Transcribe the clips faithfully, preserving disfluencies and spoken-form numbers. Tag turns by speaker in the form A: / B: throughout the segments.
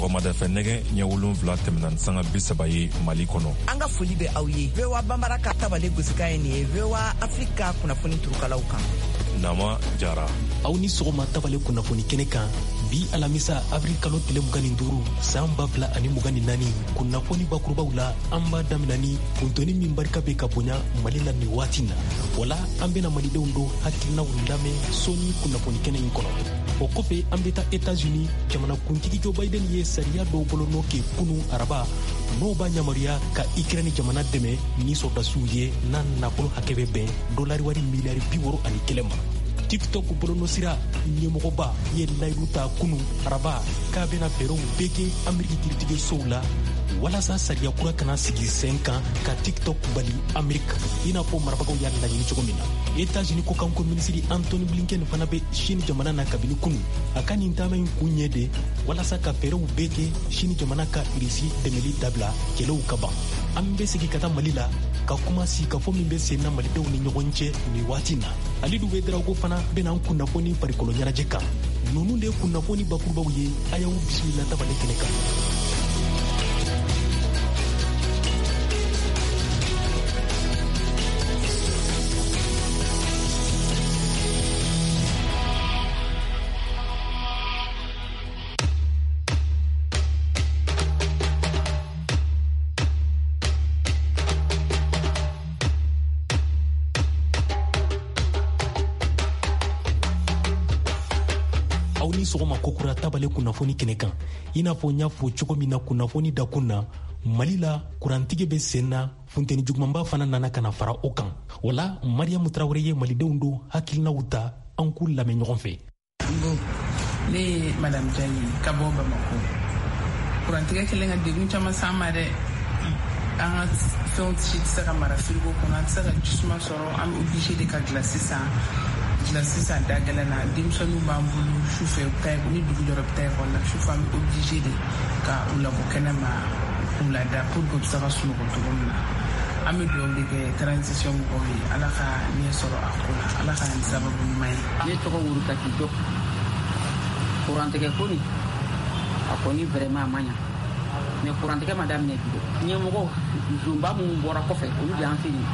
A: Sɔgɔmada fɛ nɛgɛ ɲɛ wolonwula tɛmɛna ni sanga bi saba ye Mali kɔnɔ.
B: An ka foli bɛ aw ye. V O A Bambara ka tabale gosikan ye nin ye V O A Afrika kunnafoni turukalaw kan.
A: Nama Jara.
C: Aw ni sɔgɔma tabale kunnafoni kɛnɛ kan bi alamisa avril kalo tile mugan ni duuru san ba fila ani mugan ni naani kunnafoni bakurubaw la an b'a damina ni funteni min barika bɛ ka bonya Mali la nin waati na. Wala an bɛna malidenw dɔ hakilinaw lamɛn sɔɔni kunnafoni kɛnɛ in kɔnɔ. O kɔfɛ an bɛ taa États-Unis jamanakuntigi Joe Biden ye sariya dɔw bolonɔ kɛ kunu araba n'o b'a yamaruya ka Ukraine jamana dɛmɛ ni sɔrɔdasiw ye n'a nafolo hakɛ bɛ bɛn dolari wari miliyari bi wɔɔrɔ ani kelen ma. TikTok bolonɔsira ɲɛmɔgɔba ye layidu ta kunu araba k'a bɛna fɛɛrɛw bɛɛ kɛ Ameriki kiiritigɛsow la walasa sariya kura kana sigi sen kan ka TikTok bali Ameriki i n'a fɔ marabagaw y'a laɲini cogo min na. États-Unis kɔkanko minisiri Antony Blinken fana bɛ Chine jamana na kabini kunu. A ka nin taama in kun ye de walasa ka fɛɛrɛw bɛɛ kɛ Chine jamana ka Irisi dɛmɛli dabila kɛlɛw ka ban. An bɛ segin ka taa Mali la ka kuma sigikafɔ min bɛ sen na malidenw ni ɲɔgɔn cɛ nin waati na. Alidu Ouédraogo fana bɛna an kunnafoni farikolo ɲɛnajɛ kan. Ninnu de ye kunnafoni bakurubaw ye, a y'aw bisimila tabale kɛnɛ kan. Sɔgɔma kokura tabale kunnafoni kɛnɛ kan. I n'a fɔ n y'a fɔ cogo min na kunnafoni dakun na, Mali la kurantigɛ bɛ sen na, funteni jugumanba fana nana ka na fara o kan. O la Mariyamu Tarawele ye malidenw don hakilinaw ta, an k'u lamɛn ɲɔgɔn fɛ.
D: Bon, ne ye Madame Jani ka bɔ Bamakɔ. Kurantigɛ kɛlen ka degun caman s'an ma dɛ. An ka fɛnw si tɛ se ka mara firigo kɔnɔ, an tɛ se ka jisuma sɔrɔ, an bɛ obligé de ka gilasi san. Gilasi san da gɛlɛn na, denmisɛnninw b'an bolo sufɛ, u bɛ taa ni dugu jɔra u bɛ taa ekɔli la, sufɛ an bɛ obligé de ka u labɔ kɛnɛ ma k'u lada pour que u bɛ se ka sunɔgɔ cogo min na. An bɛ dugawu de kɛ transition mɔgɔw ye, Ala ka ɲɛ sɔrɔ a ko la, Ala ka nin sababu ɲuman ye.
E: Ne tɔgɔ Wurutaki Diop. Kurantigɛ ko nin a kɔni vraiment a ma ɲa, mais kurantigɛ ma daminɛ bi dɛ. Ɲɛmɔgɔ zonba minnu bɔra kɔfɛ olu de y'an se nin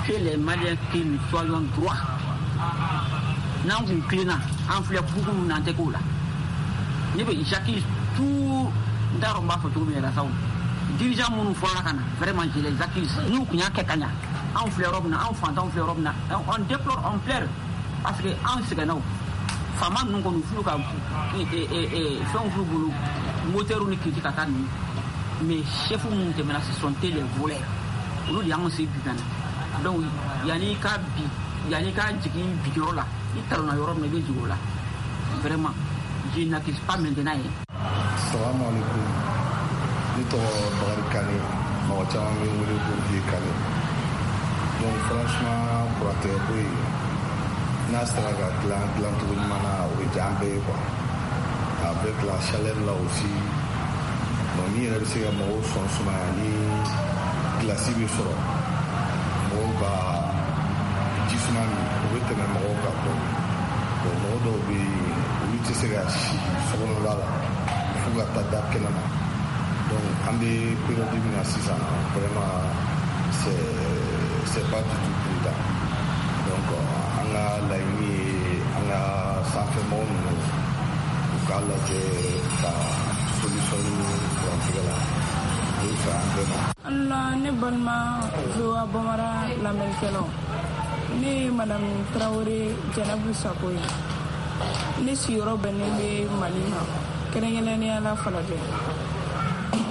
E: que les Maliens que nous soyons droits. N'an kun kilenna an filɛ bugu min na an tɛ k'o la. Ne bɛ j'accuse tout, n t'a dɔn n b'a fɔ cogo min yɛrɛ sa o. Dirigeant minnu fɔra ka na vraiment je les accuse. N'u kun y'a kɛ ka ɲa, anw filɛ yɔrɔ min na, anw fantanw filɛ yɔrɔ min na, on déplore, on pleure parce que anw sɛgɛnna o. Faama ninnu kɔni f'u ka fɛnw f'u bolo, moteur ni kiriti ka taa ninnu. Mais chef minnu tɛmɛna ce sont les voleurs. Olu de y'anw se bi ka na. Donc yanni ka bi, yanni ka jigin biyɔrɔ la, i talonna yɔrɔ min na i bɛ jigin o la. Vraiment, je n'accuse pas maintenant ye.
F: Salamu alaikum. Ne tɔgɔ Bakari Kane, mɔgɔ caman bɛ n wele ko Vieux Kane. Donc franchement kurantigɛ ko in n'a sera ka dilan dilancogo ɲuman na, o bɛ diya an bɛɛ ye quoi. Avec la chaleur là aussi, donc ni yɛrɛ bɛ se ka mɔgɔw sɔn sumaya ni glace bɛ sɔrɔ, mɔgɔw ka ji suma min o bɛ tɛmɛ mɔgɔw kan dɔɔnin. Bon, mɔgɔ dɔw bɛ yen olu tɛ se ka si sokɔnɔla la f'u ka taa da kɛnɛ ma. Donc an bɛ période min na sisan, vraiment c'est c'est pas du tout prudent. Donc an ka laɲini ye an ka sanfɛmɔgɔ ninnu u k'a lajɛ ka solution ɲini kurantigɛ la, o bɛ fɛ an bɛɛ ma.
G: Allah, ne balima V O A Bambara lamɛnnikɛlaw, ne ye Madame Tarawele Jɛnɛbu Sako ye. Ne sigiyɔrɔ bɛnnen bɛ Mali ma, kɛrɛnkɛrɛnnenya la Falajɛ.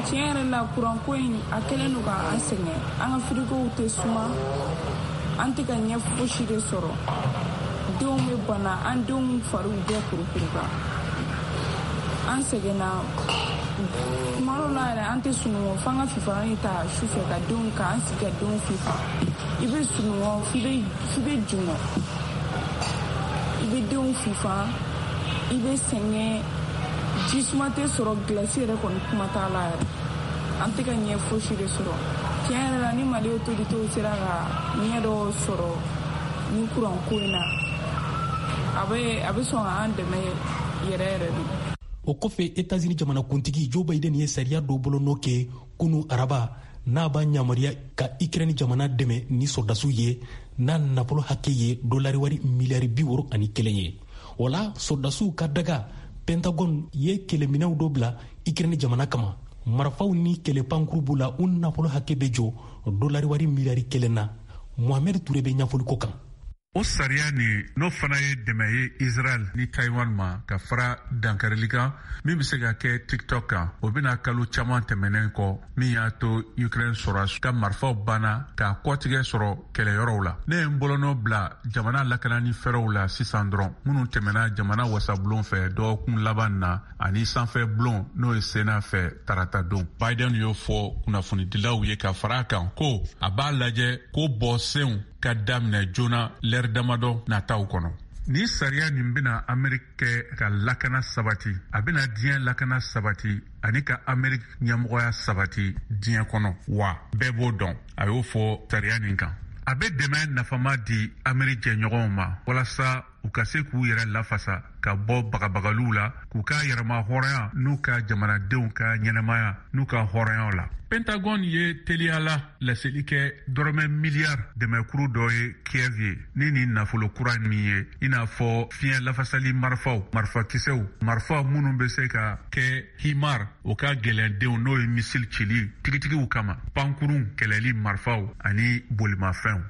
G: Tiɲɛ yɛrɛ la kuranko in a kɛlen don k'an sɛgɛn. An ka firigow tɛ suma, an tɛ ka ɲɛ fosi de sɔrɔ. Denw bɛ bana, an denw fariw bɛɛ kurukuru kan. An sɛgɛnna. Tuma dɔw la yɛrɛ an tɛ sunɔgɔ, f'an ka fifalan ta su fɛ ka denw k'an sigi ka denw fifa. I bɛ sunɔgɔ f'i bɛ f'i bɛ jɔngɔ, i bɛ denw fifa, i bɛ sɛgɛn, ji suma tɛ sɔrɔ, gilasi yɛrɛ kɔni kuma t'a la yɛrɛ. An tɛ ka ɲɛ fosi de sɔrɔ. Tiɲɛ yɛrɛ la ni Mali autorités sera ka ɲɛ dɔ sɔrɔ ni kuran ko in na, a bɛ a bɛ sɔn ka an dɛmɛ yɛrɛ yɛrɛ de.
C: O kɔfɛ, Etats-Unis jamanakuntigi Joe Biden ye sariya dɔ bolonɔ kɛ kunu araba, n'a b'a yamaruya ka Ukraine jamana dɛmɛ ni sɔrɔdasiw ye, n'a nafolo hakɛ ye dolari wari miliyari bi wɔɔrɔ ani kelen ye. O la, sɔrɔdasiw ka daga Pentagone ye kɛlɛminɛw dɔ bila Ukraine jamana kama. Marifaw ni kɛlɛpankuru b'u la, u nafolo hakɛ bɛ jɔ dolari wari miliyari kelen na. Mohamed Touré bɛ ɲɛfɔli ko kan.
H: O sariya nin, n'o fana ye dɛmɛ ye Israel ni Taiwan ma ka fara dankarili kan min bɛ se ka kɛ TikTok kan, o bɛna kalo caman tɛmɛnen kɔ min y'a to Ukraine sɔrɔ ka marifaw banna k'a kɔtigɛ sɔrɔ kɛlɛyɔrɔw la. Ne ye n bolonɔ bila jamana lakanani fɛɛrɛw la sisan dɔrɔn, minnu tɛmɛna jamana wasabulon fɛ dɔgɔkun laban na ani sanfɛ bulon, n'o ye Sénat fɛ tarata don. Biden y'o fɔ kunnafonidilaw ye ka fara a kan ko a b'a lajɛ ko bɔsenw ka daminɛ joona lɛri damadɔ nataw kɔnɔ. Ni sariya nin bɛna Ameriki kɛ ka lakana sabati, a bɛna diɲɛ lakana sabati ani ka Ameriki ɲɛmɔgɔya sabati diɲɛ kɔnɔ, wa bɛɛ b'o dɔn. A y'o fɔ sariya nin kan. A bɛ dɛmɛ nafama di Ameriki jɛɲɔgɔnw ma walasa u ka se k'u yɛrɛ lafasa ka bɔ bagabagaliw la, k'u ka yɛrɛma hɔrɔnya n'u ka jamanadenw ka ɲɛnamaya n'u ka hɔrɔnyaw la. Pentagone ye teliya la laseli kɛ dɔrɔmɛ miliyari dɛmɛkuru dɔ ye Kiev ye, ni nin nafolo kura min ye, i n'a fɔ fiɲɛ lafasali marifaw, marifakisɛw, marifa minnu bɛ se ka kɛ HIMARS, o ka gɛlɛndenw, n'o ye misili cili tigitigiw kama, pankurun kɛlɛli marifaw ani bolimafɛnw.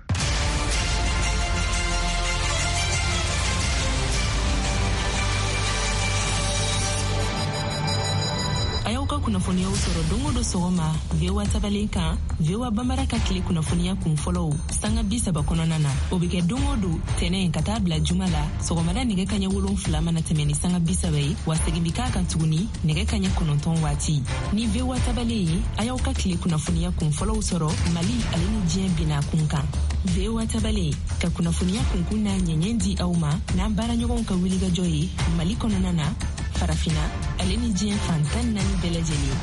I: A y'aw ka kunnafoniyaw sɔrɔ don o don sɔgɔma V O A tabalen kan, V O A Bambara ka tile kunnafoniya kun fɔlɔw sanga bi saba kɔnɔna na. O bɛ kɛ don o don, tɛnɛ ka taa bila juma la, sɔgɔmada nɛgɛ kaɲɛ wolonfila mana tɛmɛ ni sanga bi saba ye, wa segin bi k'a kan tuguni nɛgɛ kaɲɛ kɔnɔntɔn waati. Ni V O A tabalen ye, a y'aw ka tile kunnafoniya kun fɔlɔw sɔrɔ Mali ale ni diɲɛ bina kun kan. V O A tabalen ka kunnafoniya kunkun n'a ɲɛɲɛ di aw ma n'an baaraɲɔgɔnw ka wulikajɔ ye Mali kɔnɔna na, Farafina ale ni diɲɛ fan tan naani bɛɛ lajɛlen.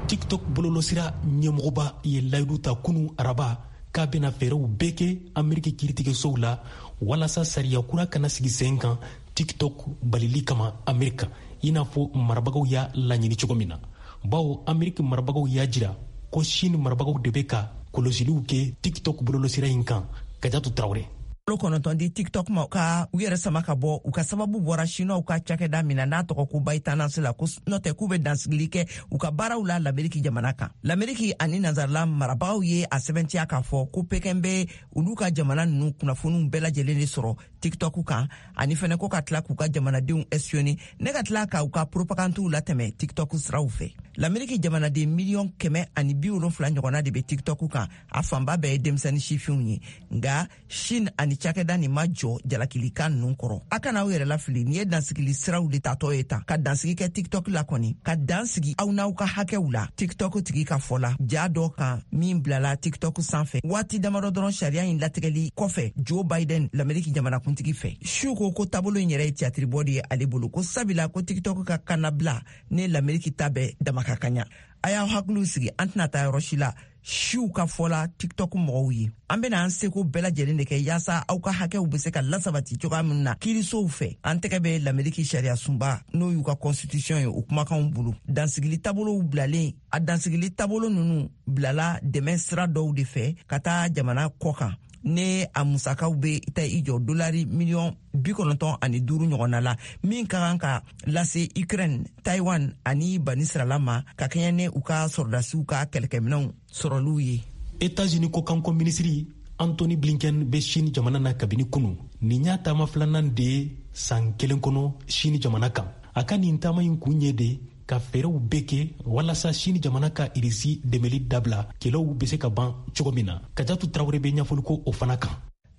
C: TikTok bololɔsira ɲɛmɔgɔba ye layidu ta kunu araba k'a bɛna fɛɛrɛw bɛɛ kɛ Ameriki kiiritigɛsow la walasa sariya kura kana sigi sen kan TikTok balili kama Amerika, i n'a fɔ marabagaw y'a laɲini cogo min na, bawo Ameriki marabagaw y'a jira ko Chine marabagaw de bɛ ka kɔlɔsiliw kɛ TikTok bololɔsira in kan. Kajatu Tarawele.
B: Kalo kɔnɔntɔn di TikTok ma ka u yɛrɛ sama ka bɔ u ka sababu bɔra Chinois ka cakɛda min na, n'a tɔgɔ ko ByteDance la, ko n'o tɛ k'u bɛ dansigili kɛ u ka baaraw la Lameriki jamana kan. Lameriki ani nansarala marabagaw ye a sɛbɛntiya k'a fɔ ko Pekin bɛ olu ka jamana ninnu kunnafoniw bɛɛ lajɛlen de sɔrɔ TikTok kan, ani fɛnɛ ko ka tila k'u ka jamanadenw espionner ne ka tila ka u ka propagandiw latɛmɛ TikTok siraw fɛ. Lameriki jamanaden miliyɔn kɛmɛ ani bi wolonfila ɲɔgɔnna de bɛ TikTok kan, a fanba bɛɛ ye denmisɛnnin sifinw ye. Nka Chine ani cakɛda nin ma jɔ jalakilikan ninnu kɔrɔ. A kana aw yɛrɛ lafili, nin ye dansigili siraw de tatɔ ye tan ka dansigi kɛ TikTok la kɔni, ka dan sigi aw n'aw ka hakɛw la. TikTok tigi ka fɔ la, ja dɔ kan min bilala TikTok sanfɛ waati damadɔ dɔrɔn sariya in latigɛli kɔfɛ Joe Biden, Lameriki jamanakuntigi fɛ, su ko ko taabolo in yɛrɛ ye tiyatiribɔ de ye ale bolo, ko sabila ko TikTok ka kannabila ne Lameriki ta bɛɛ dama ka kaɲa. A y'aw hakiliw sigi, an tɛna taa yɔrɔ si la. Siw ka fɔla TikTok mɔgɔw ye, an bena an seko bɛɛ lajɛlen de kɛ yaasa aw ka hakɛw be se ka lasabati cogoya min na kiirisow fɛ. An tɛgɛ bɛ Lameriki sariya sunba, n'o y'u ka constitution ye, o kumakanw bolo. Dansigili taabolow bilalen, a dansigili taabolo nunu bilala dɛmɛ sira dɔw de fɛ ka taa jamana kɔ kan, ne a musakaw bɛ taa i jɔ dolari miliyɔn bi kɔnɔntɔn ani duuru ɲɔgɔnna la, min ka kan ka lase Ukraine, Taiwan ani Banisirala ma ka kɛɲɛ ni u ka sɔrɔdasiw ka kɛlɛkɛminɛw sɔrɔliw ye.
C: Etats-Unis kɔkanko minisiri Antony Blinken bɛ Chine jamana na kabini kunu. Nin y'a taama filanan de ye san kelen kɔnɔ Chine jamana kan. A ka nin taama in kun ye de ka fɛɛrɛw bɛɛ kɛ walasa Chine jamana ka Irisi dɛmɛli dabila, kɛlɛw bɛ se ka ban cogo min na. Kajatu Tarawele bɛ ɲɛfɔli ko o fana kan.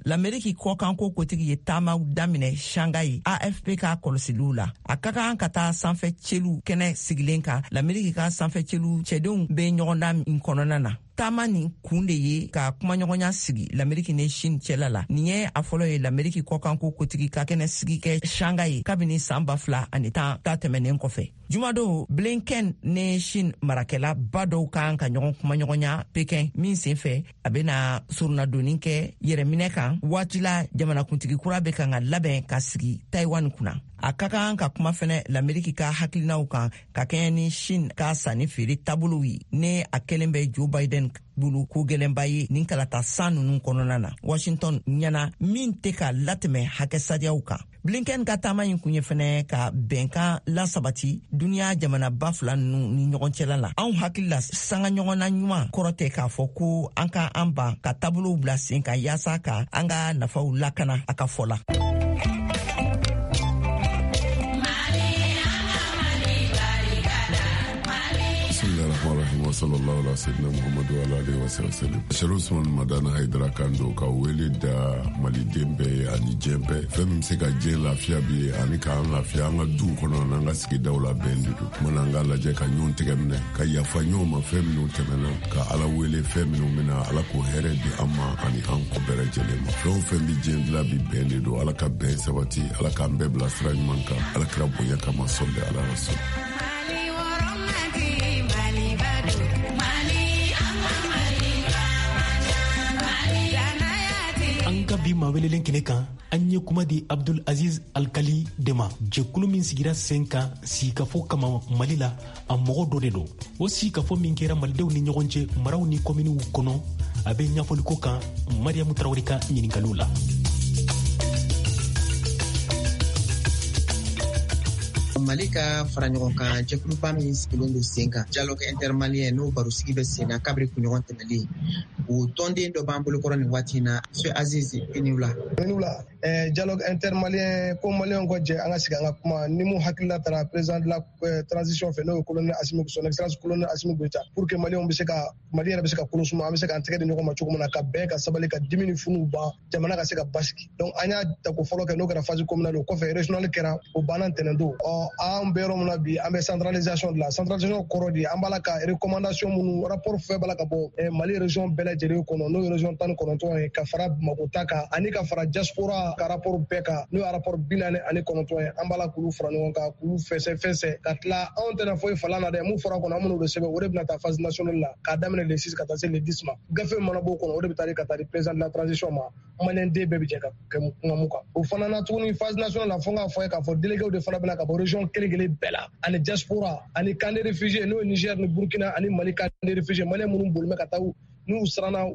B: Lameriki kɔkanko kotigi ye taamaw daminɛ Shanghai. A F P ka kɔlɔsiliw la, a ka kan ka taa sanfɛ celu kɛnɛ sigilen kan, Lameriki ka sanfɛ celu cɛdenw bɛ ɲɔgɔndan in kɔnɔna na. Taama nin kun de ye ka kumaɲɔgɔnya sigi Lameriki ni Chine cɛla la. Nin ye a fɔlɔ ye Lameriki kɔkanko kotigi ka kɛnɛ sigi kɛ Shanghai kabini san ba fila ani tan ta tɛmɛnen kɔfɛ. Jumadon, Blinken ni Chine marakɛlaba dɔw kan ka ɲɔgɔn kumaɲɔgɔnya Pekin min senfɛ a bɛna soronnadonni kɛ yɛrɛminɛ kan waati la jamanakuntigi kura bɛ kan ka labɛn ka sigi Taiwan kunna. A ka kan ka kuma fɛnɛ Lameriki ka hakilinaw kan ka kɛɲɛ ni Chine ka sanni feere taabolow ye ni a kɛlen bɛ Joe Biden bolo ko gɛlɛnba ye nin kalata san ninnu kɔnɔna na Washington ɲɛna min tɛ ka latɛmɛ hakɛ sariyaw kan. Blinken ka taama in kun ye fɛnɛ ka bɛnkan lasabati duniya jamanaba fila ninnu ni ɲɔgɔn cɛla la. Anw hakili la sanga ɲɔgɔnna ɲuman kɔrɔ tɛ k'a fɔ ko an ka an ban ka taabolow bila sen kan yaasa ka an ka nafaw lakana, a ka fɔ la.
J: Bismillahirrahmanirrahim. Sallallahu ala sayyidina Muhammadu wa ala alihi wa sallam. Sherif Usman Madani Haidara kan don ka wele da maliden bɛɛ ye ani diɲɛ bɛɛ. Fɛn min bɛ se ka diɲɛ lafiya bi ani k'an lafiya an ka duw kɔnɔ n'an ka sigidaw la bɛn de don. Kuma an k'a lajɛ ka ɲɔgɔn tɛgɛ minɛ, ka yafa ɲɔgɔn ma fɛn minnu tɛmɛna, ka Ala wele fɛn minnu bɛna, Ala k'o hɛrɛ di an ma ani an kɔ bɛɛ lajɛlen ma. Fɛn o fɛn bɛ diɲɛ dilan bi bɛn de don. Ala ka bɛn sabati, Ala k'an bɛɛ bila sira ɲuman kan. Ala kira bonya kama sɔli ala rasul.
C: An ka bi maa welelen kɛnɛ kan, an ye kuma di Abdul Aziz Alkali de ma, jɛkulu min sigira sen kan sigikafɔ kama Mali la, a mɔgɔ dɔ de don. O sigikafɔ min kɛra malidenw ni ɲɔgɔn cɛ maraw ni kominiw kɔnɔ, a bɛ ɲɛfɔliko kan Mariyamu Tarawele ka ɲininkaliw la.
K: Mali ka fara ɲɔgɔn kan jɛkuluba min sigilen don sen kan, dialogue intermalien, n'o barosigi bɛ sen na kabiri kunɲɔgɔn tɛmɛlen, o tɔnden dɔ b'an bolokɔrɔ nin waati in na, Monsieur Aziz, i ni wula.
L: I ni wula. Eh, dialogue intermalien ko maliyɛnw ka jɛ an ka sigi an ka kuma ni mun hakilila taara président de la eh, transition fɛ, n'o ye colonel Assimi, son excellence colonel Assimi Goïta, pour que maliyɛnw bɛ se ka Mali yɛrɛ bɛ se ka kolo suma, an bɛ se k'an tɛgɛ di ɲɔgɔn ma cogo min na ka bɛn, ka sabali, ka dimi ni funuw ban, jamana ka se ka basigi. Donc an y'a tako fɔlɔ kɛ, n'o kɛra phase communale, o kɔfɛ régional kɛra, o banna ntɛnɛn don. Ɔ an bɛ yɔrɔ min na bi, an bɛ centralisation de la. Centralisation kɔrɔ de an b'a la ka recommandation minnu, rapport fɛn b'a la ka bɔ eh, Mali région bɛɛ lajɛlen kɔnɔ, n'o ye région tan ni kɔnɔntɔn ye, ka fara Bamakɔ ta kan ani ka fara diaspora ka rapport bɛɛ kan, n'o ye rapport bi naani ani kɔnɔntɔn ye. An b'a la k'olu fara ɲɔgɔn kan, k'olu fɛsɛ fɛsɛ ka tila. Anw tɛna foyi falan na dɛ, mun fɔra kɔnɔ an bɛn'o de sɛbɛn, o de bɛna taa phase nationale la k'a daminɛ le six ka taa se le dix ma. Gafe mana b'o kɔnɔ, o de bɛ taa di ka taa di président de la transition ma. Maliyɛn den bɛɛ bɛ jɛ ka kɛ kuma mun kan. O fana na tuguni phase nationale la, fo n k'a fɔ ye k'a fɔ délégués de fana bɛna ka bɔ région kelen kelen bɛɛ la, ani diaspora ani camp de réfugiés, n'o ye Niger ni Burkina ani Mali camp de réfugiés, maliyɛn minnu boli bɛ ka taa n'u siranna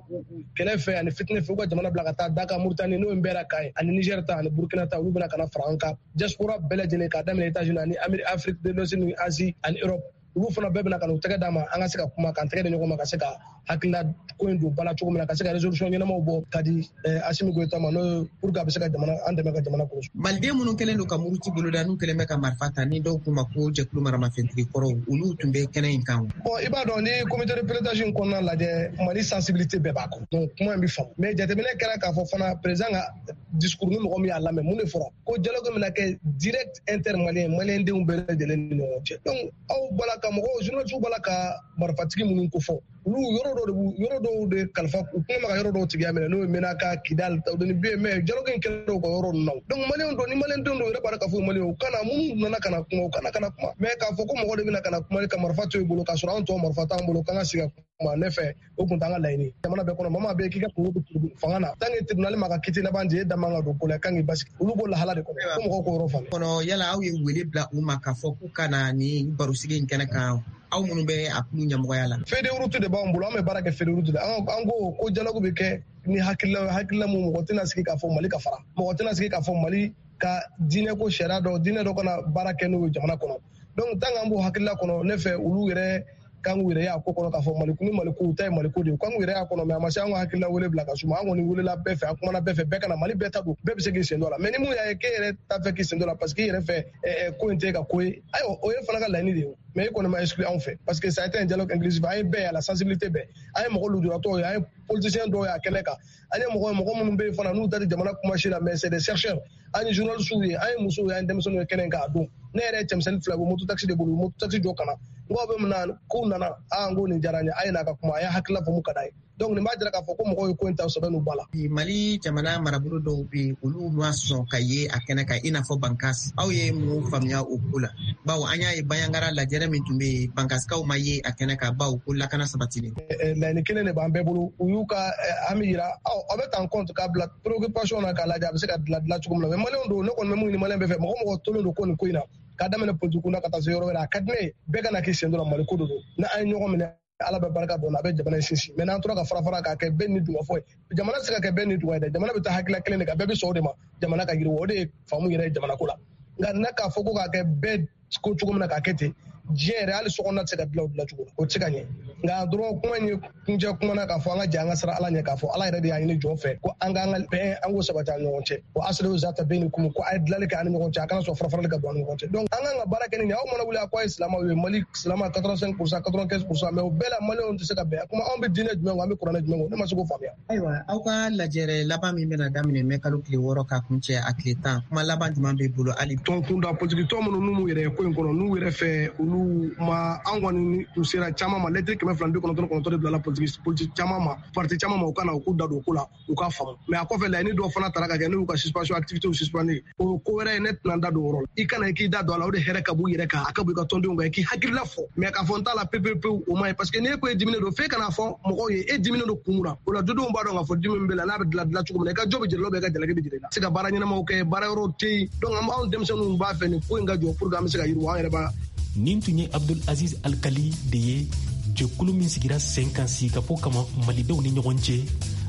L: kɛlɛ fɛ ani fitinɛ fɛ, u ka jamana bila ka taa Daka Mauritanie, n'o ye Nbɛra kan ye, ani Niger ta ani Burkina ta, olu bɛna ka na fara an kan. Diaspora bɛɛ lajɛlen k'a daminɛ États-Unis ani Amérique, Afrique de l'Ouest ni Asie ani Europe, olu fana bɛɛ bɛna ka n'u tɛgɛ d'a ma, an ka se ka kuma, k'an tɛgɛ di ɲɔgɔn ma, ka se ka hakilila ko in don ba la cogo min na, ka se ka résolution ɲɛnamaw bɔ ka di Assimi Goïta ma, n'o ye pour que a bɛ se ka jamana an dɛmɛ ka jamana kɔlɔsi.
K: Maliden minnu kɛlen don ka muruti boloda, n'u kɛlen bɛ ka marifa ta, ni dɔw k'u ma ko jɛkulu maramafɛntigi kɔrɔw, olu tun bɛ kɛnɛ in kan.
L: Bon, i b'a dɔn ni comité de pilotage in kɔnɔna lajɛ, Mali sensibilité bɛɛ b'a kɔnɔ, donc kuma in bɛ faamu. Mais jateminɛ kɛra k'a fɔ fana président ka discours, ni mɔgɔ min y'a lamɛn, mun de fɔra ko dialogue bɛna kɛ direct intermalien, maliyɛn denw bɛɛ lajɛlen ni ɲɔgɔn cɛ. Donc aw bɔla ka mɔgɔw journalistes bɔla ka marifatigi minnu ko fɔ, olu yɔrɔ dɔw de b'u yɔrɔ dɔw de kalifa u kuma ma ka yɔrɔ dɔw tigiya minɛ, n'o ye Menaka, Kidal, ni bɛ mais dialogue in kɛra u ka yɔrɔ ninnu na. Donc maliyɛnw don, ni maliyɛn denw don, u yɛrɛ b'a dɔn k'a fɔ maliyɛnw u kana minnu nana ka na kuma, u kana ka na kuma. Mais k'a fɔ ko mɔgɔ de bɛna ka na kuma ka marifa to i bolo k'a sɔrɔ anw tɔ marifa t'an bolo k'an ka sigi ka kuma, ne fɛ o kun t'an ka laɲini. Jamana bɛɛ kɔnɔ mama bɛ k'i ka kungo bɛ fanga na, tant que tribunal ma ka kiti laban di, e da man ka don ko la, kan k'i basigi, olu b'o lahala de kɔnɔ, ko mɔgɔw k'o yɔrɔ faamu.
K: Kɔnɔ yala aw ye wele bila u ma k'a fɔ k'u ka na nin barosigi in kɛnɛ kan, aw minnu bɛ a kulu ɲɛmɔgɔya la?
L: Feuille de route de b'an bolo, an bɛ baara kɛ feuille de route de. An ko ko dialogue bɛ kɛ ni hakilila hakilila mun, mɔgɔ tɛna sigi k'a fɔ Mali ka fara, mɔgɔ tɛna sigi k'a fɔ Mali ka diinɛ ko sariya dɔ diinɛ dɔ kana baara kɛ n'o ye jamana kɔnɔ. Donc tant qu'an b'o hakilila kɔnɔ, ne fɛ olu yɛrɛ kan k'u yɛrɛ y'a ko kɔnɔ k'a fɔ Mali ni Mali ko ta ye Mali ko de ye, kan k'u yɛrɛ y'a kɔnɔ. Mais a ma se an ka hakilila wele bila ka suma, an kɔni welela bɛɛ fɛ, an kumana bɛɛ fɛ, bɛɛ kana Mali bɛɛ ta don, bɛɛ bɛ se k'i sen don a la. Mais ni mun y'a ye k'e yɛrɛ t'a fɛ k'i sen don a la parce que i yɛrɛ fɛ ko in tɛ ka ko ye, ayiwa o ye fana ka laɲini de ye. Mais e kɔni ma exclu anw fɛ parce que ça a été un dialogue inclusif, an ye bɛɛ ye, a la sensibilité bɛɛ, an ye mɔgɔ lujuratɔw ye, an ye politiciens dɔw ye a kɛnɛ kan, an ye mɔgɔ mɔgɔ minnu bɛ yen fana n'u ta tɛ jamana kuma si la, mais c'est des chercheurs, an ye journalistes ye, an ye musow ye, an ye denmisɛnninw ye kɛnɛ kan a don. Ne yɛrɛ ye cɛmisɛnnin fila bɔ moto taxi de bolo, moto taxi jɔ ka na N ko aw bɛ mun na k'u nana, aa n ko nin diyara n ye, a ye n'a ka kuma, a y'a hakilila fɔ mun ka d'a ye. Donc nin b'a jira k'a fɔ ko mɔgɔw ye ko in ta sɛbɛn n'u ba la.
K: Mali jamana marabolo dɔw bɛ yen, olu ma sɔn ka ye a kɛnɛ kan, i n'a fɔ Bankas. Aw ye mun faamuya o ko la? Bawo an y'a ye Bandiagara lajɛrɛ min tun bɛ yen, Bankasikaw ma ye a kɛnɛ kan, bawo ko lakana sabatilen.
L: Laɲini kelen de b'an bɛɛ bolo, u y'u ka hami yira, aw bɛ ta en compte k'a bila préoccupation na k'a lajɛ a bɛ se ka dilan dilan cogo min na. Mais maliyɛnw don, ne kɔni bɛ mun ɲini maliyɛn bɛɛ fɛ, mɔgɔ mɔgɔ tolen don ko nin ko in na, k'a daminɛ politique kunda ka taa se yɔrɔ wɛrɛ, a ka di ne ye bɛɛ ka na k'i sen don Mali ko de don. N'an ye ɲɔgɔn minɛ, Ala bɛ barika don, a bɛ jamana in sinsin. Mais n'an tora ka fara fara k'a kɛ bɛɛ ni dungɔ fɔ ye, jamana tɛ se ka kɛ bɛɛ ni dungɔ ye dɛ. Jamana bɛ taa hakilila kelen de kan, bɛɛ bɛ sɔn o de ma, jamana ka yiriwa, o de ye faamu yɛrɛ ye jamana ko la. Nka n'a k'a fɔ ko k'a kɛ bɛɛ ko cogo min na k'a kɛ ten, diɲɛ yɛrɛ hali sokɔnɔna tɛ se ka dilan o dilan cogo la, o tɛ se ka ɲɛ. Nka dɔrɔn kuma in ye kuncɛ kuma na k'a fɔ an ka jɛ an ka siran Ala ɲɛ, k'a fɔ Ala yɛrɛ de y'a ɲini jɔn fɛ ko an k'an ka bɛn, an k'o sabati an ɲɔgɔn cɛ. Ko aslihu zata baynikum, ko a ye dilanli kɛ an ni ɲɔgɔn cɛ, a kana sɔn farafarali ka don an ni ɲɔgɔn cɛ. Donc an k'an ka baara kɛ ni nin ye. Aw mana wuli a ko a ye silamɛw ye, Mali silamɛ quatre-vingt-cinq pour cent, quatre-vingt-quinze pour cent, mais o bɛɛ la maliyɛnw tɛ se ka bɛn. Kuma anw bɛ diinɛ jumɛn kɔ, an bɛ kuranɛ jumɛn kɔ, ne ma se k'o faamuya.
K: Ayiwa, aw ka lajɛrɛ laban min bɛna daminɛ mɛ kalo tile wɔɔrɔ ka kuncɛ a tile tan, kuma laban jumɛn b'e bolo hali?
L: Tɔn kunda politiki tɔn minnu n'u yɛrɛ ye ko in kɔnɔ, n'u yɛrɛ fɛ olu ma, an kɔni u sera caman ma, lɛtiri kɛmɛ fila ni bi kɔnɔntɔn ni kɔnɔntɔn de bilala politiki politiki caman ma, parti caman ma, u ka na u k'u da don o ko la, u k'a faamu. Mais a kɔfɛ laɲini dɔw fana taara ka kɛ n'u y'u ka suspension activité suspendre, o ko wɛrɛ ye, ne tɛna n da don o yɔrɔ la. I kana i k'i da don a la, o de hɛrɛ ka b'u yɛrɛ kan, a ka bɔ i ka tɔndenw kan, i k'i hakilila fɔ. Mais k'a fɔ n t'a la pewu pewu, o ma ɲi, parce que n'e ko e diminen don, f'e kana fɔ mɔgɔw ye e diminen don kun mun na. O la dudenw b'a dɔn k'a fɔ dimi min b'e la, n'a bɛ dilan dilan cogo min na, i ka jɔ bɛ jira la, i ka jalaki bɛ jira i la. Se ka baara ɲɛnamaw kɛ, baara yɔrɔw tɛ yen. Donc an b'anw denmisɛnninw b'a fɛ nin ko in ka jɔ pour que an bɛ se ka yiriwa, an yɛrɛ b'a.
C: Nin tun ye Abdul Aziz Alkali de ye, jɛkulu min sigira sen kan sigikafɔ kama malidenw ni ɲɔgɔn cɛ,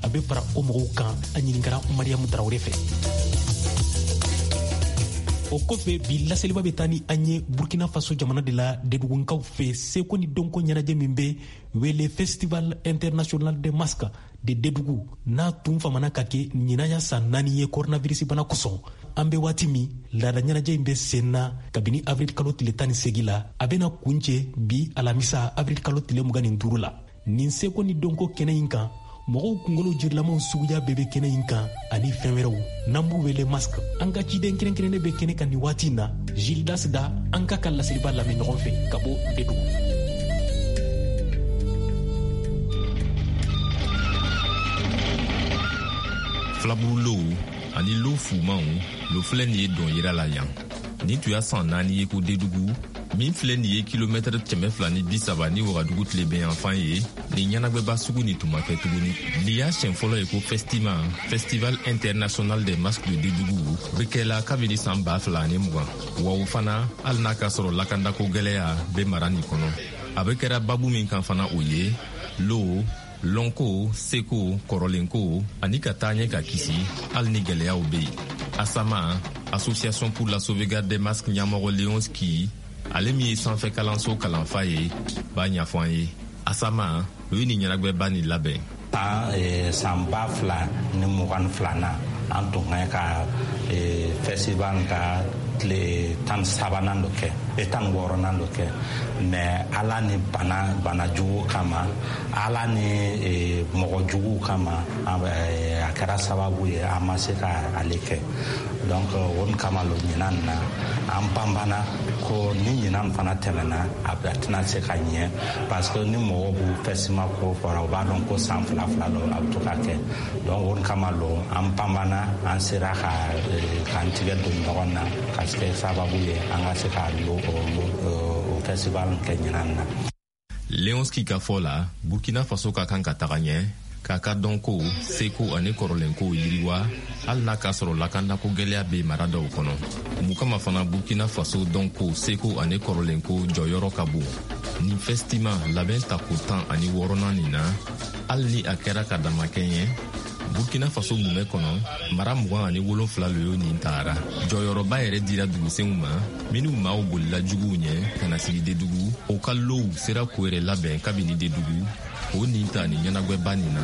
C: a bɛ fara o mɔgɔw kan. A ɲininkara Mariyamu Tarawele fɛ. O kɔfɛ bi laseliba bɛ taa ni an ye Burkina Faso jamana de la, Dedugunkaw fɛ, seko ni dɔnko ɲɛnajɛ min bɛ wele Festival International des Masques de Dedugu, n'a tun famana ka kɛ ɲinan ya san naani ye coronavirus bana kosɔn. An bɛ waati min, laada ɲɛnajɛ in bɛ sen na kabini avril kalo tile tan ni seegin la, a bɛna kuncɛ bi alamisa avril kalo tile mugan ni duuru la. Nin seko ni dɔnko kɛnɛ in kan, mɔgɔw kunkolo jirilamaw suguya bɛɛ bɛ kɛnɛ in kan ani fɛn wɛrɛw n'an b'u wele masque. An ka ciden kɛrɛnkɛrɛnnen bɛ kɛnɛ kan nin waati in na, Gildas Da, an ka ka laseliba lamɛn ɲɔgɔn fɛ ka bɔ Dedugu.
A: Filaburulow ani lo fumanw lo filɛ nin ye dɔn yira la yan. Nin tun y'a san naani ye ko Dedugu min filɛ nin ye kilomɛtɛrɛ kɛmɛ fila ni bi saba ni Wagadugu tilebenyanfan ye, nin ɲɛnagwɛba sugu nin tun ma kɛ tuguni. Nin y'a siɲɛ fɔlɔ ye ko Festima, Festival International des Masques de Dedugu, bɛ kɛla kabini san ba fila ani mugan. Wa o fana, hali n'a ka sɔrɔ lakandako gwɛlɛya bɛ mara nin kɔnɔ. A bɛ kɛra babu min kan fana, o ye lo lɔnko, seko, kɔrɔlenko ani ka taa ɲɛ ka kisi hali ni gwɛlɛyaw bɛ yen. Asama, Association pour la sauvegarde des masques ɲɛmɔgɔ Leonski, ale min ye sanfɛ kalanso kalanfa ye, b'a ɲɛfɔ an ye. Asama, o ye nin ɲɛnagwɛba nin labɛn.
M: San san ba fila ni mugan filanan, an tun ka ka festival ka tile tan sabanan dɔ kɛ, tan wɔɔrɔnan dɔ kɛ, mais Ala ni bana bana jugu kama, Ala ni mɔgɔ juguw kama, a kɛra sababu ye an ma se ka ale kɛ. Donc o kama lo ɲinan na an banbana ko ni ɲinan fana tɛmɛna, a tɛna se ka ɲɛ, parce que ni mɔgɔw b'u festival ko fɔra, u b'a dɔn ko san fila fila lo a bɛ to ka kɛ. Donc o kama lo an banbana, an sera ka k'an tigɛ don ɲɔgɔn na ka kɛ sababu ye an ka se ka lo o festival kɛ ɲinan na.
A: Leonski ka fɔ la, Burkina Faso ka kan ka taga ɲɛ k'a ka dɔnko, seko ani kɔrɔlenkow yiriwa, hali n'a k'a sɔrɔ lakandako gwɛlɛya bɛ mara dɔw kɔnɔ. Mun kama fana Burkina Faso dɔnko, seko ani kɔrɔlenko jɔyɔrɔ ka bon. Nin Festima labɛn tako tan ani wɔɔrɔnan nin na, hali ni a kɛra ka damakɛɲɛ, Burkina Faso mumɛ kɔnɔ, mara mugan ani wolonfila lo y'o nin tagara. Jɔyɔrɔba yɛrɛ dira dugusenw ma, minnu maaw bolila juguw ɲɛ ka na sigi Dedugu, o ka low sera k'o yɛrɛ labɛn kabini Dedugu, o nin ta ni ɲɛnagwɛba nin na.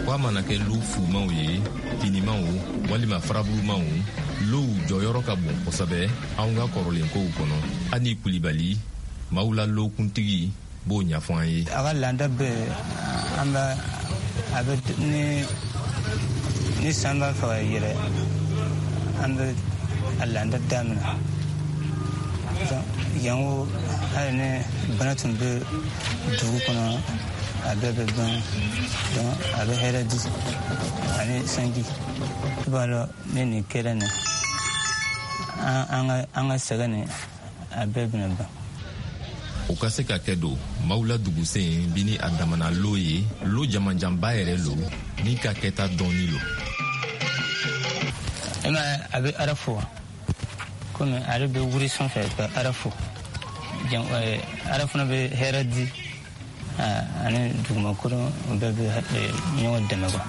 A: Ko a mana kɛ lo fumanw ye, finimanw walima faraburumanw, low jɔyɔrɔ ka bon kosɛbɛ anw ka kɔrɔlenkow kɔnɔ. Ani Kulibali, maaw la lokuntigi b'o ɲɛfɔ an ye.
N: A ka laada bɛ an bɛ a bɛ ni ni san b'a fɛ ka yɛlɛ, an bɛ a laada daminɛ. Jango hali ni bana tun bɛ dugu kɔnɔ, a bɛɛ bɛ ban. Donc a bɛ hɛrɛ di ani sanji. I b'a dɔn, ni nin kɛra nin, an ka an ka sɛgɛn nin, a bɛɛ bɛna ban.
A: O ka se ka kɛ don mawula dugusen bi ni a damana lo ye, lo jamanjanba yɛrɛ lo ni ka kɛta dɔɔni lo.
N: E ma, a bɛ Ala fo komi ale bɛ wuri sanfɛ ka Ala fo. Ala fana bɛ hɛrɛ di ani dugumakolo bɛɛ bɛ ɲɔgɔn dɛmɛ quoi.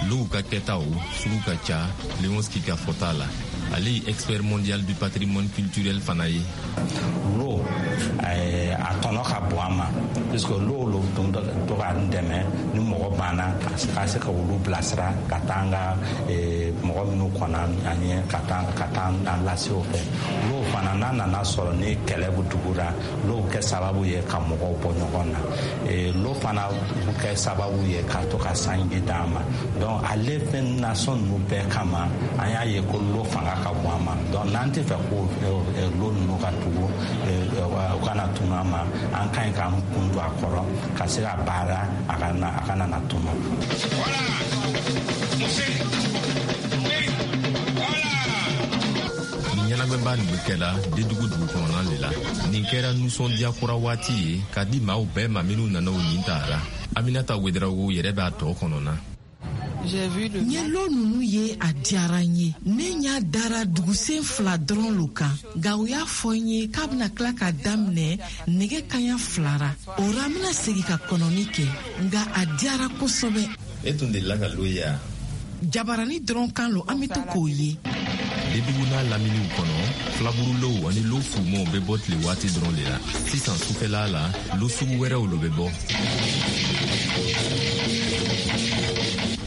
A: Low ka kɛtaw sugu ka ca. Leonski ka fɔta la, ale ye expert mondial du patrimoine culturel fana ye.
M: Lo, a tɔnɔ ka bon an ma, puisque lo lo to k'an dɛmɛ ni mɔgɔ banna ka se ka olu bilasira ka taa an ka mɔgɔ minnu kɔnna an ɲɛ ka taa ka taa an lase o fɛ. Lo fana, n'a nana sɔrɔ ni kɛlɛ bɛ dugu la, lo bɛ kɛ sababu ye ka mɔgɔw bɔ ɲɔgɔn na. Lo fana bɛ kɛ sababu ye ka to ka sanji d'an ma. Donc ale fɛn nasɔn ninnu bɛɛ kama, an y'a ye ko lo fanga ka bon an ma. Donc n'an tɛ fɛ ko lo ninnu ka tugu, u kana tunu an ma, an ka ɲi k'an kun don a kɔrɔ ka se ka baara a kana a kana na tunu.
A: Nin ɲɛnagwɛba nin bɛ kɛla Dedugu dugu kɔnɔna de la. Nin kɛra nisɔndiya kura waati ye ka di maaw bɛɛ ma minnu nana o ɲin tara. Aminata Wedarawogo yɛrɛ b'a tɔ kɔnɔna.
O: N ye lo ninnu ye, a diyara n ye. Ne ɲa dara dugusen fila dɔrɔn lo kan, nka u y'a fɔ n ye k'a bɛna tila ka daminɛ nɛgɛ kaɲa filara. O ra, n bɛna segin ka kɔnɔni kɛ, nka a diyara kosɛbɛ.
A: E tun delila ka lo ye a?
O: Jabarani dɔrɔn kan lo, an bɛ to k'o ye.
A: Dedugu n'a laminiw kɔnɔ, filaburulow ani lo fumaw bɛ bɔ tile waati dɔrɔn de la. Sisan, sufɛla la, lo sugu wɛrɛw lo bɛ bɔ,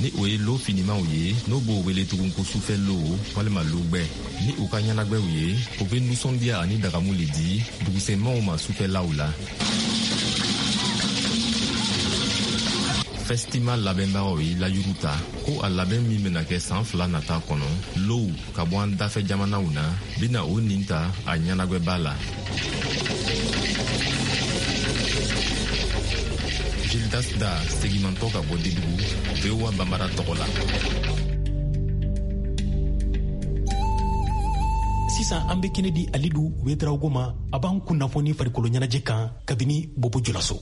A: ni o ye lo finimaw ye, n'o b'o wele tugun ko sufɛ lo walima logbɛ. Ni u ka ɲɛnagwɛw ye, o bɛ nisɔndiya ani dagamu le di dugusenmaw ma sufɛlaw la. Festival labɛnbagaw ye layuru ta ko a labɛn min bɛna kɛ san fila nata kɔnɔ, low ka bɔ an dafɛ jamanaw na bɛna o nin ta a ɲɛnagwɛba la. Gildas Da segimantɔ ka bɔ Dedugu, V O A Banbara tɔgɔ la.
C: Sisan, an be kɛnɛ di Alidu Wedarawogo ma, a b'an kunnafoni farikolo ɲɛnajɛ kan kabini Bobo Julaso.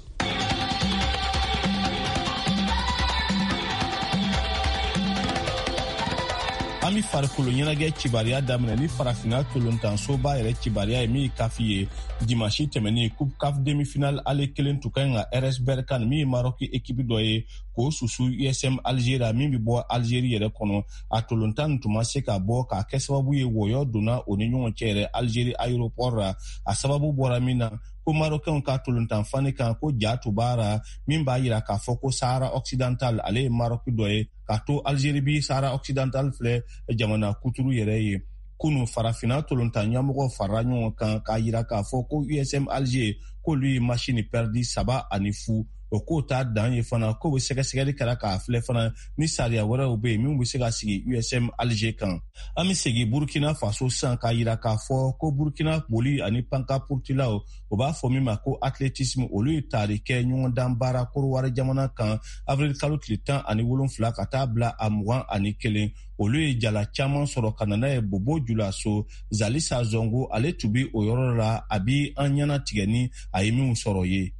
P: An be farikolo ɲɛnajɛ cibariya daminɛ ni Farafina tolontansoba yɛrɛ cibariya ye, min ye CAF ye. Dimansi tɛmɛnin, Coupe CAF demi-finale aller kelen tun ka ɲi ka R S Berkane, min ye Maroc équipe dɔ ye, k'o susu U S M Algeria, min bɛ bɔ Algérie yɛrɛ kɔnɔ. A tolontan nin tun ma se ka bɔ k'a kɛ sababu ye wɔyɔ donna o ni ɲɔgɔn cɛ yɛrɛ Algérie aéroport la. A sababu bɔra min na, ko Marocain ka tolontan fani kan, ko ja tun b'a ra min b'a yira k'a fɔ ko Sahara occidental ale ye Maroc dɔ ye, k'a to Algérie bi Sahara occidental filɛ jamana kuturu yɛrɛ ye. Kunu, Farafina tolontan ɲɛmɔgɔ farala ɲɔgɔn kan k'a yira k'a fɔ ko U S M Alger k'olu ye match ni perdu saba ani fu. O k'o t'a dan ye fana, k'o bɛ sɛgɛsɛgɛli kɛra k'a filɛ fana ni sariya wɛrɛw bɛ yen min bɛ se ka sigi U S M Alger kan. An bɛ segin Burkina Faso sisan k'a yira k'a fɔ ko Burkina boli ani pankapurutilaw, o b'a fɔ min ma ko athlétisme, olu ye taari kɛ ɲɔgɔndan baara Korowari jamana kan avril kalo tile tan ani wolonfila ka taa bila a mugan ani kelen. Olu ye jala caman sɔrɔ ka na n'a ye Bobo Julaso. Zalisa Zongo, ale tun bi o yɔrɔ la, a bi an ɲɛna tigɛ ni a ye minw sɔrɔ ye.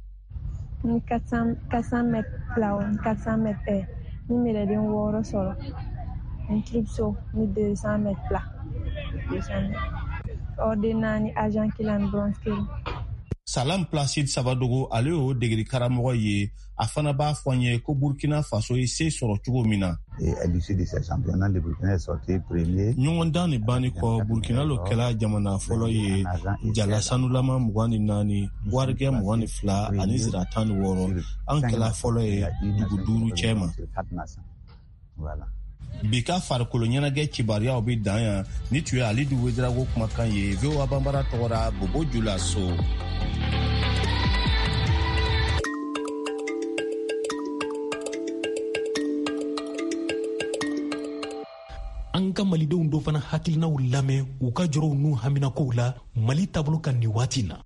G: Ni quatre cents mètres plat, ni quatre cents mètres haies, ni médaille wɔɔrɔ sɔrɔ, ni triple saut, ni deux cents mètres plat, deux cents mètres, or den naani, argent kelen ani bronze kelen.
P: Salam Placide Sabadogo, ale y'o degeli karamɔgɔ ye, a fana b'a fɔ an ye ko Burkina Faso ye se sɔrɔ cogo min na. Ɲɔgɔndan ni banni kɔ, Burkina lo kɛla jamana fɔlɔ ye, jala sanulama mugan ni naani, warigɛ mugan ni fila ani zira tan ni wɔɔrɔ. An kɛla fɔlɔ ye dugu duuru cɛ ma. Bi ka farikolo ɲɛnajɛ kibaruyaw bɛ dan yan. Ni tun ye Alidu Wedarago kumakan ye, V O A Banbara tɔgɔra, Bobo Julaso.
C: An ka malidenw dɔ fana hakilinaw lamɛn u ka jɔrɔw n'u haminakow la Mali taabolo kan nin waati na.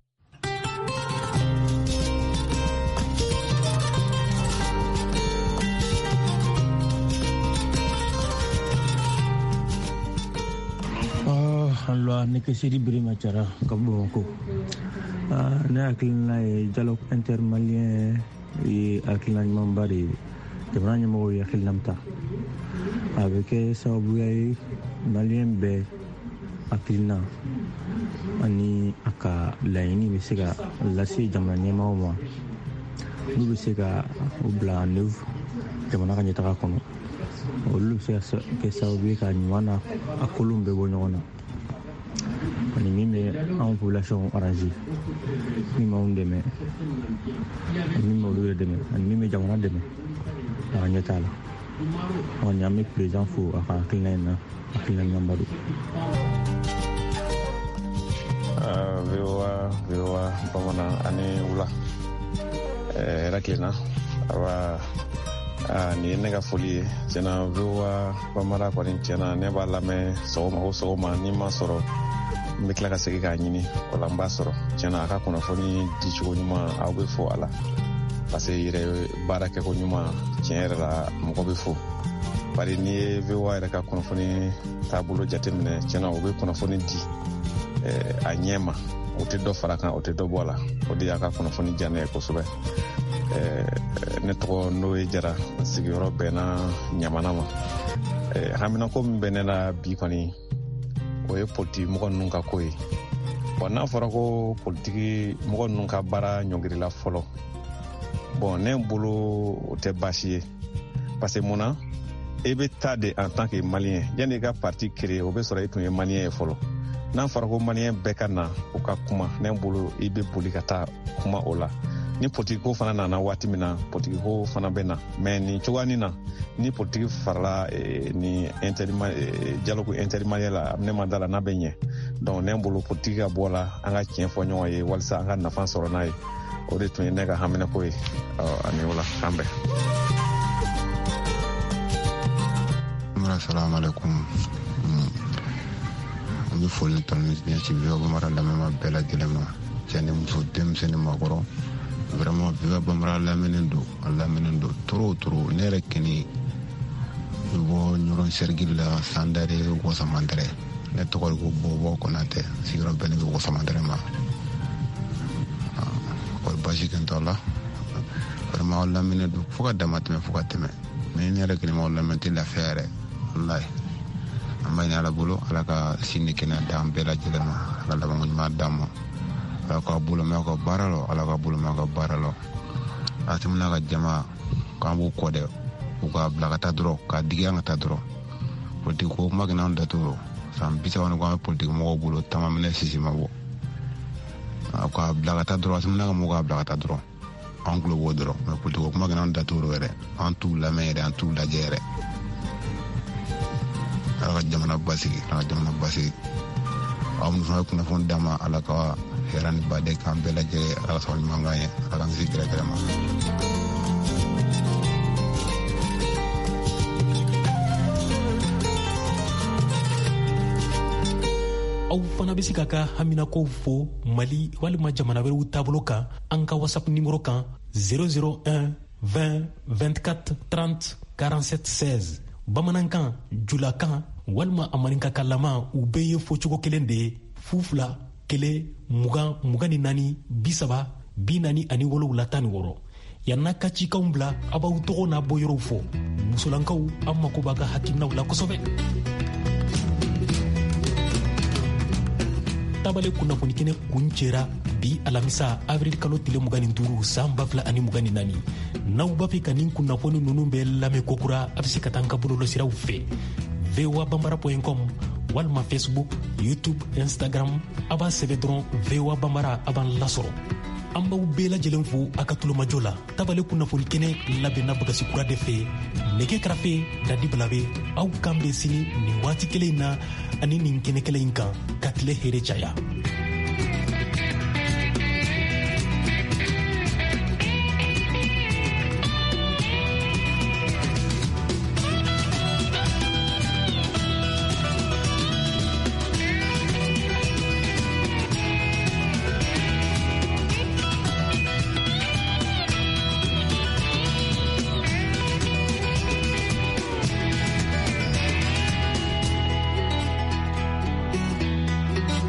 Q: Alwa ne ke Sidi Birima Jara ka Bamakɔ. Ne hakilina ye dialogue intermalien ye hakilina ɲumanba de ye. Jamana ɲɛmɔgɔw ye hakilina min ta, a bɛ kɛ sababuya ye malien bɛɛ hakilina ani a ka laɲini bɛ se ka lase jamana ɲɛmaaw ma, n'u bɛ se ka o bila en œuvre jamana ka ɲɛtaga kɔnɔ. Olu bɛ se ka kɛ sababu ye ka ɲuman n'a a kolon bɛɛ bɔ ɲɔgɔn na, ani min bɛ anw population arranger, min b'anw dɛmɛ, ani min b'olu yɛrɛ dɛmɛ, ani min bɛ jamana dɛmɛ a ka ɲɛtaa la. Kɔni an bɛ président fo a ka hakilina in na, hakilina ɲumanba don.
R: V O A V O A bamanan ani wula hɛrɛ tilenna. Awa, nin ye ne ka foli ye tiɲɛna. V O A bamara kɔni tiɲɛna ne b'a lamɛn sɔgɔma o sɔgɔma, ni ma sɔrɔ n bɛ tila ka segin k'a ɲini, o la n b'a sɔrɔ. Tiɲɛna a ka kunnafoni dicogo ɲuman, aw bɛ fo a la, parce que yɛrɛ baara kɛko ɲuman tiɲɛ yɛrɛ la mɔgɔ bɛ fo. Bari n'i ye V O A yɛrɛ ka kunnafoni taabolo jateminɛ, tiɲɛna o bɛ kunnafoni di a ɲɛ ma, o tɛ dɔ fara kan, o tɛ dɔ bɔ a la. O de y'a ka kunnafoni diya ne ye kosɛbɛ. Ne tɔgɔ n'o ye Jara, sigiyɔrɔ bɛnna Ɲamana ma. Haminako min bɛ ne la bi kɔni, o ye politiki mɔgɔ ninnu ka ko ye. Bon, n'a fɔra ko politiki mɔgɔ ninnu ka baara ɲɔngirila fɔlɔ, bon ne bolo o tɛ baasi ye, parce que mun na e bɛ taa de en tant que malien, yanni i ka parti créer, o bɛ sɔrɔ e tun ye malien ye fɔlɔ. N'a fɔra ko malien bɛɛ ka na o ka kuma, ne bolo i bɛ boli ka taa kuma o la. Ni politiki ko fana nana waati min na, politiki ko fana bɛ na, mais nin cogoyanin na, ni politiki farala eh, ni interma eh, dialogue intermalien la, ne ma da la n'a bɛ ɲɛ. Donc ne bolo politiki ka bɔ la, an ka tiɲɛ fɔ ɲɔgɔn ye walasa an ka nafa sɔrɔ n'a ye. O de tun ye ne ka haminako ye. Ani o la, k'an bɛn.
S: Assalamu alaikum. An bɛ foli ni tanu ɲɛsin V O A Bambara lamɛnbaa bɛɛ lajɛlen ma, cɛ ni muso, denmisɛnnin, maakɔrɔ. Vraiment V O A Bambara lamɛnnen don, a lamɛnnen don trop trop. Ne yɛrɛ kɛni bɛ bɔ Ɲɔrɔn sɛrigili la, Sandare Wasamantɛrɛ. Ne tɔgɔ de ko Bɔbɔ Konatɛ, sigiyɔrɔ bɛnnen bɛ Wasamantɛrɛ ma. Kɔri baasi kɛ n t'a la. Vraiment aw lamɛnnen don fo ka dama tɛmɛ, fo ka tɛmɛ. Mais ne yɛrɛ kɛni m'aw lamɛn tɛ lafiya yɛrɛ. Walayi, an b'a ɲini Ala bolo, Ala ka si ni kɛnɛya d'an bɛɛ lajɛlen ma, Ala labanko ɲuman d'an ma, Ala k'a bolo mɛn aw ka baara la, Ala k'a bolo mɛn aw ka baara la. Asimi n'a ka jama k'an b'u kɔ dɛ, u k'a bila ka taa dɔrɔn, k'a digi an ka taa dɔrɔn. Politiki ko kuma kɛnɛ an datoro san bi saba ni kɔ an bɛ politiki mɔgɔw bolo, taama minɛ sisi ma bɔ. A k'a bila ka taa dɔrɔn, Asimi n'a ka mɔgɔw k'a bila ka taa dɔrɔn, an tulo b'o dɔrɔn. Mais politiki ko kuma kɛnɛ an datoro yɛrɛ, an t'u lamɛn yɛrɛ, an t'u lajɛ yɛrɛ. Ala ka jamana basigi, Ala ka jamana basigi. Aw minnu fana ye kunnafoni d'an ma, Ala ka hɛrɛ ni baden k'an bɛɛ lajɛlen, Ala ka sabali ɲuman k'an ye, Ala k'an kisi gɛrɛgɛrɛ ma.
C: Aw fana bɛ se k'a ka haminakow fo Mali walima jamana wɛrɛw taabolo kan an ka WhatsApp nimero kan zéro zéro un vingt vingt-quatre trente quarante-sept seize. Bamanankan, julakan walima a maninkakalama, u bɛɛ ye fɔcogo kelen de ye: fu fila kelen mugan mugan ni naani bi saba bi naani ani wolowula tan ni wɔɔrɔ. Yan'a ka cikanw bila, a b'aw tɔgɔ n'a bɔyɔrɔw fɔ. Musolankaw, an mako b'a ka hakilinaw la kosɛbɛ. Tabale kunnafoni kɛnɛ kuncɛra bi alamisa avril kalo tile mugan ni duuru san ba fila ani mugan ni naani. N'aw b'a fɛ ka nin kunnafoni ninnu bɛɛ lamɛn kokura, a bɛ se ka taa an ka bɔlɔlɔsiraw fɛ voa bambara point com walima Facebook, YouTube, Instagram. A b'a sɛbɛn dɔrɔn V O A Bambara, a b'an lasɔrɔ. An b'aw bɛɛ lajɛlen fo a ka tulomajɔ la. Tabale kunnafoni kɛnɛ labɛnna Bagasi Kura de fɛ, nɛgɛ karafe Dadi Balabe. Aw kan bɛ sini nin waati kelen in na ani nin kɛnɛ kelen in kan. Ka tile hɛrɛ caya.